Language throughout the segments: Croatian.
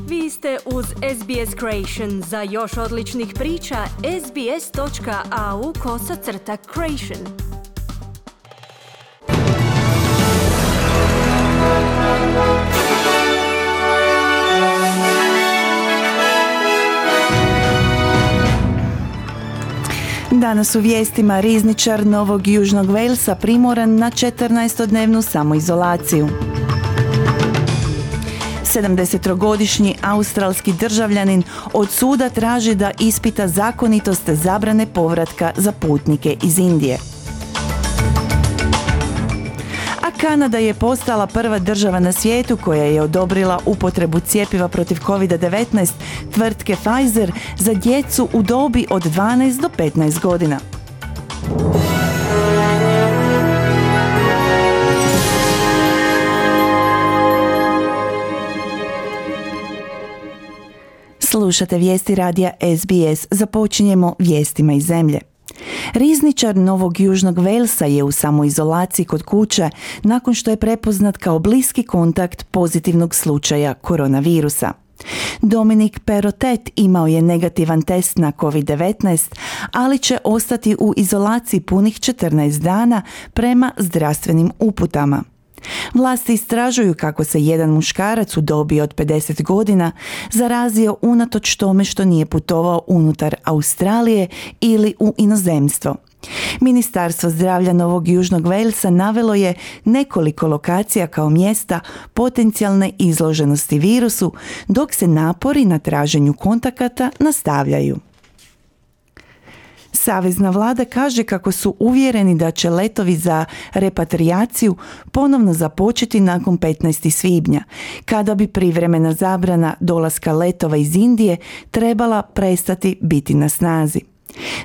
Vi ste uz SBS Creation. Za još odličnih priča, sbs.au/creation. Danas u vijestima rizničar Novog Južnog Walesa primoran na 14-dnevnu samoizolaciju. 70-godišnji australski državljanin od suda traži da ispita zakonitost zabrane povratka za putnike iz Indije. A Kanada je postala prva država na svijetu koja je odobrila upotrebu cjepiva protiv COVID-19 tvrtke Pfizer za djecu u dobi od 12 do 15 godina. Slušate vijesti radija SBS. Započinjemo vijestima iz zemlje. Rizničar Novog Južnog Walesa je u samoizolaciji kod kuće nakon što je prepoznat kao bliski kontakt pozitivnog slučaja koronavirusa. Dominic Perrottet imao je negativan test na COVID-19, ali će ostati u izolaciji punih 14 dana prema zdravstvenim uputama. Vlasti istražuju kako se jedan muškarac u dobi od 50 godina zarazio unatoč tome što nije putovao unutar Australije ili u inozemstvo. Ministarstvo zdravlja Novog Južnog Walesa navelo je nekoliko lokacija kao mjesta potencijalne izloženosti virusu, dok se napori na traženju kontakata nastavljaju. Savezna vlada kaže kako su uvjereni da će letovi za repatrijaciju ponovno započeti nakon 15. svibnja, kada bi privremena zabrana dolaska letova iz Indije trebala prestati biti na snazi.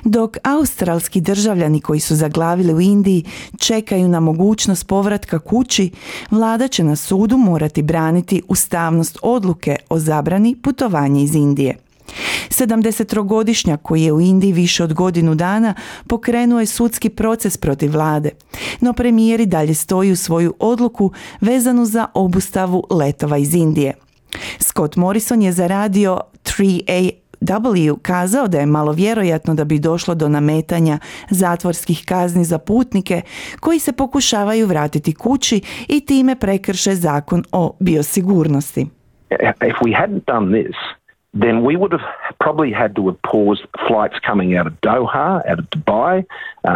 Dok australski državljani koji su zaglavili u Indiji čekaju na mogućnost povratka kući, vlada će na sudu morati braniti ustavnost odluke o zabrani putovanja iz Indije. 70-godišnjak koji je u Indiji više od godinu dana pokrenuo je sudski proces protiv vlade, no premijer i dalje stoji u svoju odluku vezanu za obustavu letova iz Indije. Scott Morrison je za radio 3AW kazao da je malo vjerojatno da bi došlo do nametanja zatvorskih kazni za putnike koji se pokušavaju vratiti kući i time prekrše zakon o biosigurnosti. If we hadn't done this, then we would have probably had to have paused flights coming out of Doha, out of Dubai,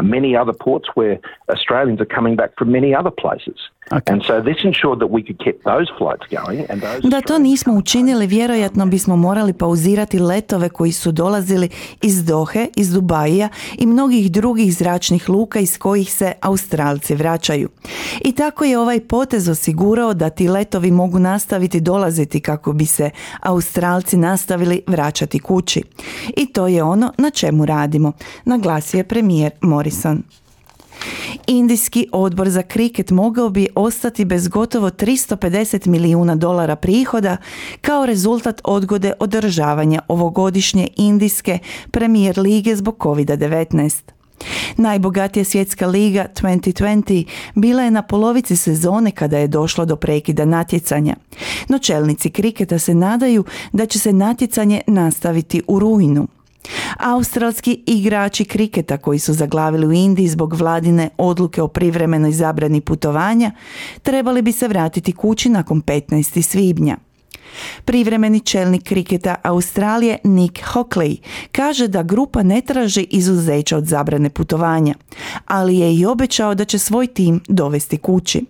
many other ports where Australians are coming back from many other places. Okay. And so this ensured that we could keep those flights going. And those da to nismo učinili, vjerojatno bismo morali pauzirati letove koji su dolazili iz Dohe, iz Dubaija i mnogih drugih zračnih luka iz kojih se Australci vraćaju. I tako je ovaj potez osigurao da ti letovi mogu nastaviti dolaziti kako bi se Australci nastavili vraćati kući. I to je ono na čemu radimo, naglasio je premijer Morrison. Indijski odbor za kriket mogao bi ostati bez gotovo $350 milijuna prihoda kao rezultat odgode održavanja ovogodišnje indijske premijer lige zbog COVID-19. Najbogatija svjetska liga 2020 bila je na polovici sezone kada je došlo do prekida natjecanja, no čelnici kriketa se nadaju da će se natjecanje nastaviti u rujnu. Australski igrači kriketa koji su zaglavili u Indiji zbog vladine odluke o privremenoj zabrani putovanja trebali bi se vratiti kući nakon 15. svibnja. Privremeni čelnik kriketa Australije Nick Hockley kaže da grupa ne traži izuzeća od zabrane putovanja, ali je i obećao da će svoj tim dovesti kući.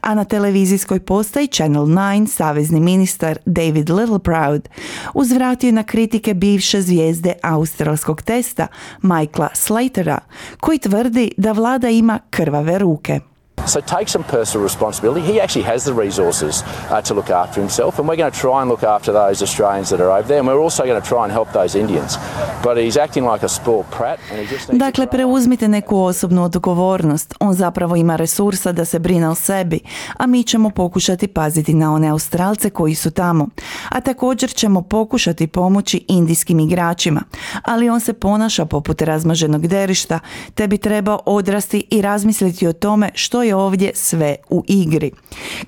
A na televizijskoj postaji Channel 9 savezni ministar David Littleproud uzvratio na kritike bivše zvijezde australskog testa Michaela Slatera, koji tvrdi da vlada ima krvave ruke. So take some personal responsibility. He actually has the resources to look after himself, and we're going to try and look after those Australians that are over there, and we're also going to try and help those Indians. But he's acting like a spoiled brat, and he just needs Dakle, preuzmite neku osobnu odgovornost. On zapravo ima resursa da se brine o sebi, a mi ćemo pokušati paziti na one Australce koji su tamo. A također ćemo pokušati pomoći indijskim igračima, ali on se ponaša poput razmaženog derišta, te bi trebao odrasti i razmisliti o tome što je ovdje sve u igri,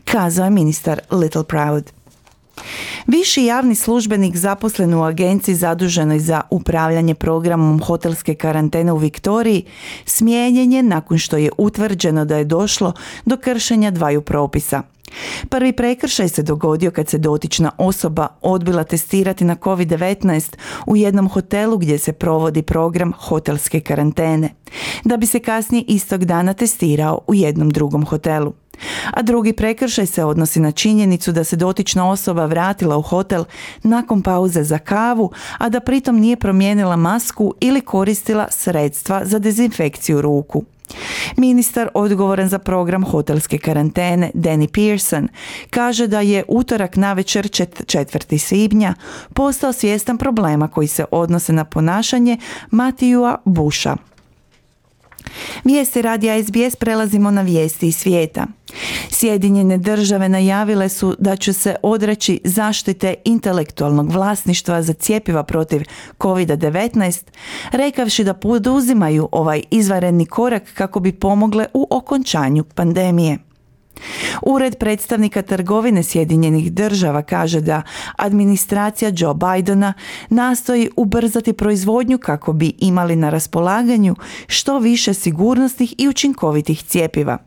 kazao je ministar Littleproud. Viši javni službenik zaposlen u agenciji zaduženoj za upravljanje programom hotelske karantene u Viktoriji smijenjen je nakon što je utvrđeno da je došlo do kršenja dvaju propisa. Prvi prekršaj se dogodio kad se dotična osoba odbila testirati na COVID-19 u jednom hotelu gdje se provodi program hotelske karantene, da bi se kasnije istog dana testirao u jednom drugom hotelu. A drugi prekršaj se odnosi na činjenicu da se dotična osoba vratila u hotel nakon pauze za kavu, a da pritom nije promijenila masku ili koristila sredstva za dezinfekciju ruku. Ministar odgovoran za program hotelske karantene, Danny Pearson, kaže da je utorak navečer 4. svibnja postao svjestan problema koji se odnose na ponašanje Matthewa Busha. Vijesti radija SBS prelazimo na vijesti iz svijeta. Sjedinjene države najavile su da će se odreći zaštite intelektualnog vlasništva za cjepiva protiv COVID-19, rekavši da poduzimaju ovaj izvanredni korak kako bi pomogle u okončanju pandemije. Ured predstavnika trgovine Sjedinjenih država kaže da administracija Joe Bidena nastoji ubrzati proizvodnju kako bi imali na raspolaganju što više sigurnosnih i učinkovitih cjepiva.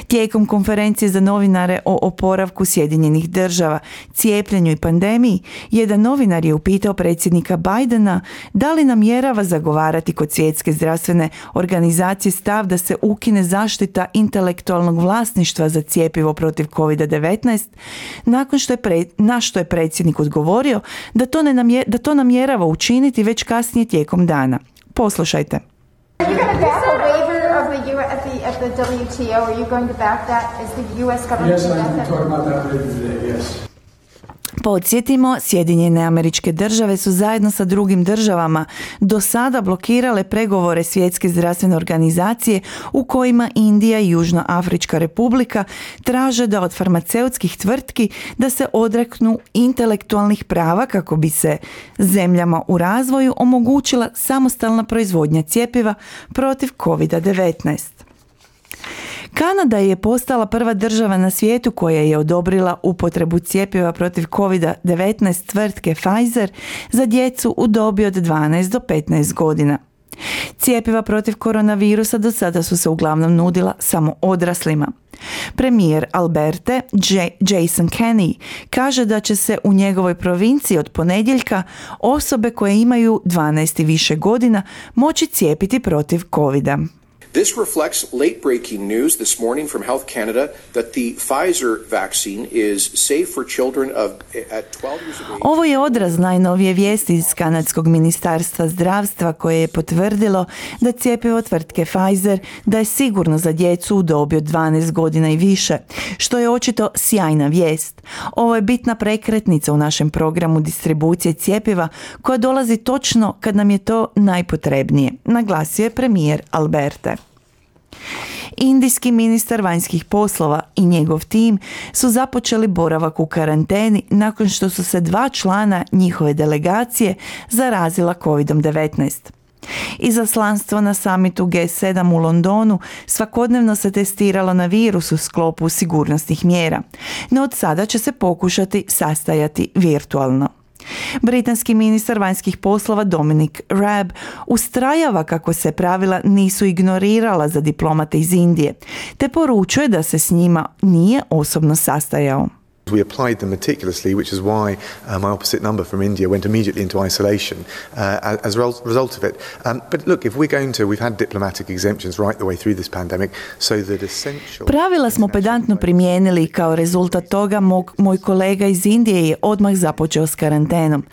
Tijekom konferencije za novinare o oporavku Sjedinjenih država, cijepljenju i pandemiji, jedan novinar je upitao predsjednika Bidena da li namjerava zagovarati kod Svjetske zdravstvene organizacije stav da se ukine zaštita intelektualnog vlasništva za cjepivo protiv COVID-19, nakon što je predsjednik odgovorio da to namjerava učiniti već kasnije tijekom dana. Poslušajte. Are you going to back a waiver of the WTO? Are you going to back that? Is the U.S. government? Yes, I'm talking about that later today, yes. Podsjetimo, Sjedinjene Američke Države su zajedno sa drugim državama do sada blokirale pregovore Svjetske zdravstvene organizacije u kojima Indija i Južnoafrička Republika traže da od farmaceutskih tvrtki da se odreknu intelektualnih prava kako bi se zemljama u razvoju omogućila samostalna proizvodnja cjepiva protiv COVID-19. Kanada je postala prva država na svijetu koja je odobrila upotrebu cjepiva protiv COVID-19 tvrtke Pfizer za djecu u dobi od 12 do 15 godina. Cjepiva protiv koronavirusa do sada su se uglavnom nudila samo odraslima. Premijer Alberte Jason Kenney kaže da će se u njegovoj provinciji od ponedjeljka osobe koje imaju 12 i više godina moći cijepiti protiv covida. This reflects late-breaking news this morning from Health Canada that the Pfizer vaccine is safe for children at 12 years of age. Ovo je odraz najnovije vijesti iz kanadskog ministarstva zdravstva koje je potvrdilo da cjepivo tvrtke Pfizer da je sigurno za djecu u dobi od 12 godina i više, što je očito sjajna vijest. Ovo je bitna prekretnica u našem programu distribucije cjepiva koja dolazi točno kad nam je to najpotrebnije, naglasio je premijer Alberte. Indijski ministar vanjskih poslova i njegov tim su započeli boravak u karanteni nakon što su se 2 člana njihove delegacije zarazila COVID-19. Izaslanstvo na samitu G7 u Londonu svakodnevno se testiralo na virus u sklopu sigurnosnih mjera, no od sada će se pokušati sastajati virtualno. Britanski ministar vanjskih poslova Dominic Raab ustrajava kako se pravila nisu ignorirala za diplomate iz Indije, te poručuje da se s njima nije osobno sastajao. We applied them meticulously, which is why my opposite number from India went immediately into isolation as a result of it. But look, if we're going to, we've had diplomatic exemptions right the way through this pandemic, so that essential... Pravila smo pedantno primijenili i kao rezultat toga moj kolega iz Indije je odmah započeo s karantenom.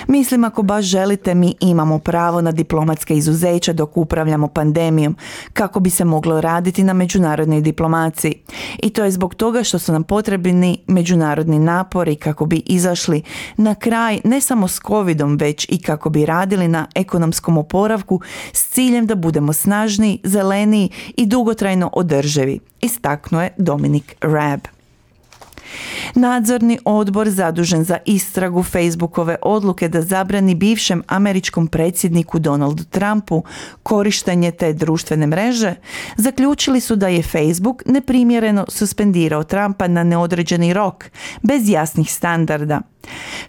Mislim, ako baš želite, mi imamo pravo na diplomatske izuzeća dok upravljamo pandemijom, kako bi se moglo raditi na međunarodnoj diplomaciji. I to je zbog toga što su nam potrebni međunarodni napori kako bi izašli na kraj ne samo s covidom, već i kako bi radili na ekonomskom oporavku s ciljem da budemo snažniji, zeleniji i dugotrajno održivi, istaknuo je Dominic Raab. Nadzorni odbor zadužen za istragu Facebookove odluke da zabrani bivšem američkom predsjedniku Donaldu Trumpu korištenje te društvene mreže, zaključili su da je Facebook neprimjereno suspendirao Trumpa na neodređeni rok, bez jasnih standarda.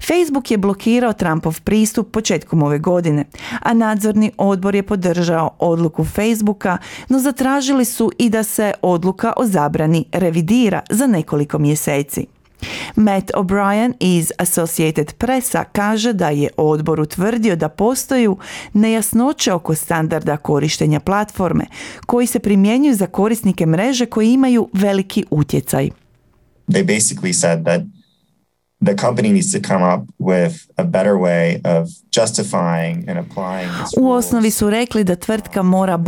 Facebook je blokirao Trumpov pristup početkom ove godine, a nadzorni odbor je podržao odluku Facebooka, no zatražili su i da se odluka o zabrani revidira za nekoliko mjeseci. Matt O'Brien iz Associated Pressa kaže da je odbor utvrdio da postoju nejasnoće oko standarda korištenja platforme koji se primjenjuju za korisnike mreže koji imaju veliki utjecaj. They basically said that the company needs to come up with a better way of justifying and applying its rules. U osnovi su rekli da tvrtka mora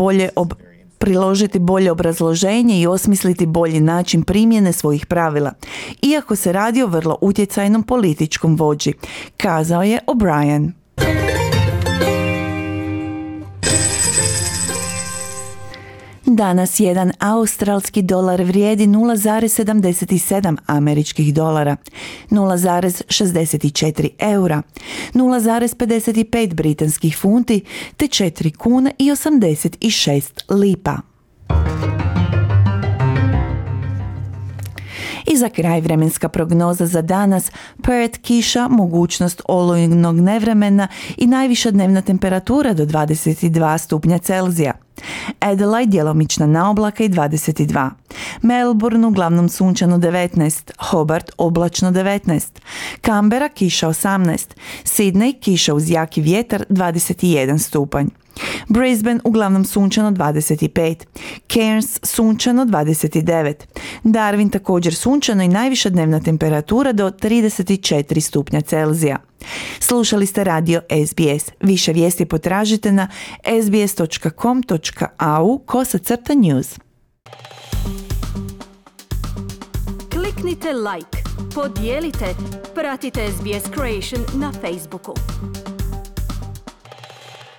priložiti bolje obrazloženje i osmisliti bolji način primjene svojih pravila, iako se radi o vrlo utjecajnom političkom vođi, kazao je O'Brien. Danas jedan australski dolar vrijedi 0,77 američkih dolara, 0,64 eura, 0,55 britanskih funti te 4 kune i 86 lipa. I za kraj vremenska prognoza za danas: Perth kiša, mogućnost olujnog nevremena i najviša dnevna temperatura do 22 stupnja Celzija. Adelaide djelomična naoblaka i 22. Melbourne uglavnom sunčano 19. Hobart oblačno 19. Canberra kiša 18. Sydney kiša uz jaki vjetar 21 stupanj. Brisbane uglavnom sunčano 25. Cairns sunčano 29. Darwin također sunčano i najviša dnevna temperatura do 34 stupnja Celzija. Slušali ste radio SBS. Više vijesti potražite na sbs.com.au/news. Kliknite like, podijelite, pratite SBS Creation na Facebooku.